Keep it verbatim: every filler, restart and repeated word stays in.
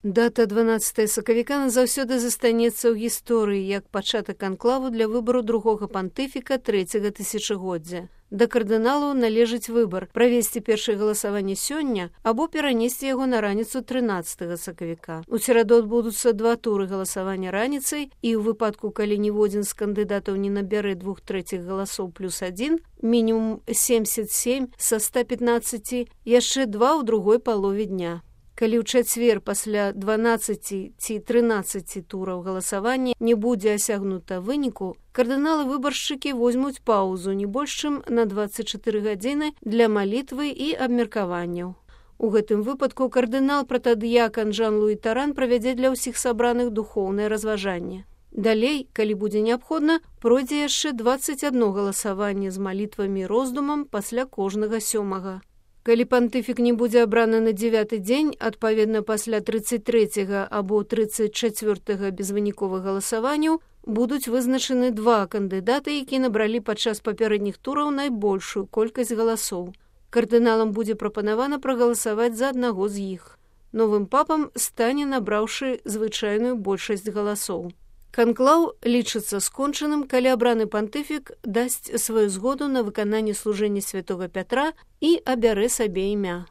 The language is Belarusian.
Дата дванаццатага сакавіка назаўсёды застанецца ў гісторыі як пачатак анклаву для выбару другога пантыфіка трэцяга тысячагоддзя. Да кардыналаў належыць выбар правесці першае галасаванне сёння або перанесці яго на раніцу трынаццатага сакавіка. У сераду адбудуцца два туры галасавання раніцай, і ў выпадку, калі ніводзін з кандыдатаў не набярэ двух трэціх галасоў плюс адзін, мінімум семьдесят семь са ста пятнаццаці, яшчэ два ў другой палове дня. Калі ў чацвер пасля дванаццаці ці трынаццаці тураў галасавання не будзе асягнута выніку, кардыналы-выбаршчыкі возьмуць паўзу не больш чым на дваццаць чатыры гадзіны для малітвы і абмеркаванняў. У гэтым выпадку кардынал-пратадыякан Жан-Луі Таран правядзе для ўсіх сабраных духоўнае разважанне. Далей, калі будзе неабходна, пройдзе яшчэ дваццаць адно галасаванне з малітвамі і роздумам пасля кожнага сёмага. Калі пантыфік не будзе абраны на дзевяты дзень, адпаведна пасля трыццаць трэцяга або трыццаць чацвёртага безвыніковых галасаванняў, будуць вызначаны два кандыдаты, які набралі падчас папярэдніх тураў найбольшую колькасць галасоў. Кардыналам будзе прапанавана прагаласаваць за аднаго з іх. Новым папам стане набраўшы звычайную большасць галасоў. Канклаў лічыцца скончаным, калі абраны пантыфік дасць сваю згоду на выкананне служэння святога Пятра і абярэ сабе імя.